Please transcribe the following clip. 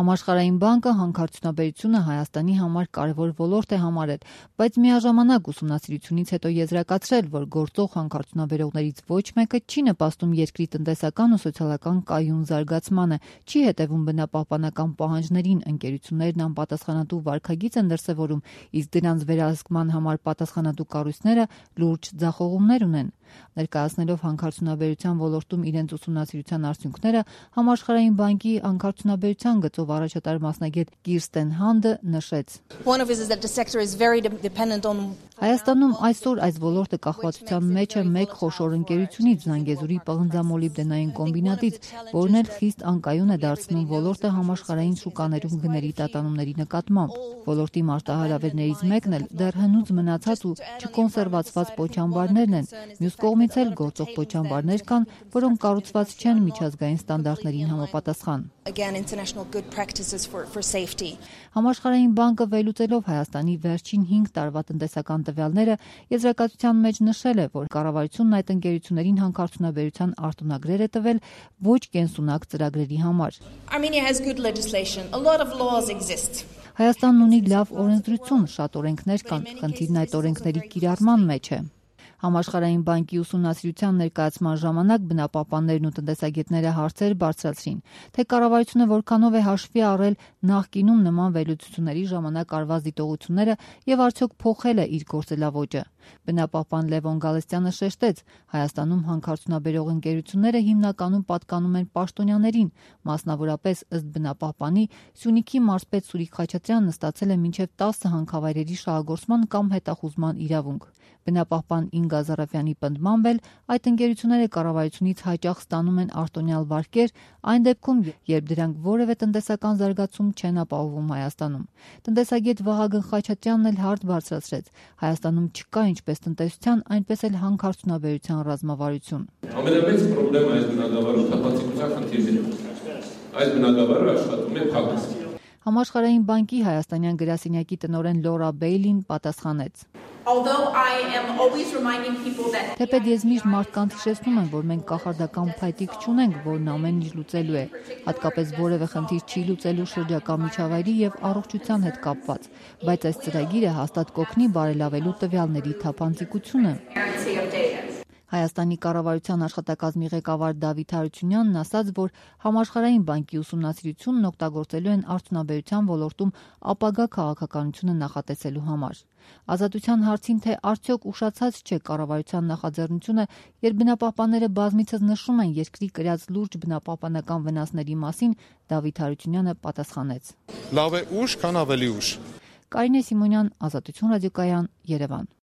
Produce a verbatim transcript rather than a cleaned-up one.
Համաշխարհային բանկը հանքարդյունաբերությունը Հայաստանի համար կարևոր ոլորտ է համարել, բայց միաժամանակ ուսումնասիրությունից հետո եզրակացրել, որ գործող հանքարդյունաբերողներից ոչ մեկը չի նպաստում երկրի տնտեսական ու սոցիալական կայուն զարգացմանը, չի հետևում բնապահպանական պահանջներին, ընկերություններն անպատասխանատու վարքագիծ են դրսևորում, իսկ դրանց վերահսկման համար պատասխանատու կառույցները լուրջ ձախողումներ ունեն։ Ներկայացնելով հանքարդյունաբերության ոլորտում իրենց ուսումնասիրության արդյունքները, Համաշխարհային բանկի հանքարդյունաբերության գծով առաջատար մասնագետ Կիրստեն Հանդը նշեց. Հայաստանում այսօր այս ոլորտը կախվածության մեջ է մեկ խոշոր ընկերությունից՝ Զանգեզուրի պղնձամոլիբդենային կոմբինատից, որն էլ խիստ անկայուն է դարձնում ոլորտը համաշխարհային շուկաներում գների տատանումների նկատմամբ։ Ոլորտի մարտահրավերներից մեկն էլ դեռ հնուց մնացած ու չկոնսերվացված պոչամբարներն են։ Մյուս կողմից էլ գործող պոչամբարներ կան, որոնք կառուցված չեն միջազգային ստանդարտներին համապատասխան։ Համաշխարհային բանկը վերլուծելով Հայաստանի վերջին հինգ տարվա տնտեսական տվյալները, եզրակացության մեջ նշել է, որ կառավարությունն այդ ընկերություններին հանքարդյունաբերության արտոնագրեր է տվել ոչ կենսունակ ծրագրերի համար։ Հայաստանն ունի լավ օրենսդրություն, շատ օրենքներ կան, խնդիրն այդ օրենքների կիրառման մեջ է։ Համաշխարհային բանկի ուսումնասիրության ներկայացման ժամանակ բնապահպաններն ու տնտեսագետները հարցեր բարձրացրին, թե կառավարությունը որքանով է հաշվի առել նախկինում նման վերլուծությունների ժամանակ արված դիտողությունները եւ արդյոք փոխել է իր գործելավոճը։ Բնապահպան Լևոն Գալստյանը շեշտեց, Հայաստանում հանքարդյունաբերող ընկերությունները հիմնականում պատկանում են պաշտոնյաներին, մասնավորապես ըստ բնապահպանի Սյունիքի մարզպետ Սուրիկ Խաչատրյանն ստացել է մինչև տասը հանքավայրերի շահագործման կամ հետախուզման իրավունք։ Բնապահպան Ինգա Զարաֆյանի պնդմամբ էլ այդ ընկերությունները կառավարությունից հաճախ ստանում են արտոնյալ վարկեր այն դեպքում, երբ դրանք որևէ տնտեսական զարգացում չեն ապահովում Հայաստանում։ Տնտեսագետ Վահագն Խաչատրյանն էլ հարց բարձրացրեց. Հայաստանում չկա ինչպես տնտեսության, այնպես էլ հանքարդյունաբերության ռազմավարություն։ Ամենամեծ խնդրեմը այս բնագավառում թափանցիկության խնդիրն է։ Այս բնագավառը աշխատում է փակ։ Համաշխարհային բանկի հայաստանյան գրասենյակի տնօրեն Լորա Բեյլին պատասխանեց. Թեպետ ես միշտ մարդկանց հիշեցնում եմ, որ մենք կախարդական փայտիկ չունենք, որն ամեն ինչ լուծելու է, հատկապես որևէ խնդիր չի լուծելու շրջակա միջավայրի եւ առողջության հետ կապված, բայց այս ծրագիրը հաստատ կօգնի բարելավելու տվյալների թափանցիկությունը։ Հայաստանի կառավարության աշխատակազմի ղեկավար Դավիթ Հարությունյանն ասաց, որ Համաշխարհային բանկի ուսումնասիրությունն օգտագործելու են արդյունաբերության ոլորտում ապագա քաղաքականությունը նախատեսելու համար։ Ազատության հարցին, թե արդյոք ուշացած չէ կառավարության նախաձեռնությունը, երբ բնապահպանները բազմիցս նշում են երկրի կրած լուրջ բնապահպանական վնասների մասին, Դավիթ Հարությունյանը պատասխանեց. Լավ է ուշ, քան ավելի ուշ։ Կարինե Սիմոնյան, Ազատություն ռադիոկայան, Երևան։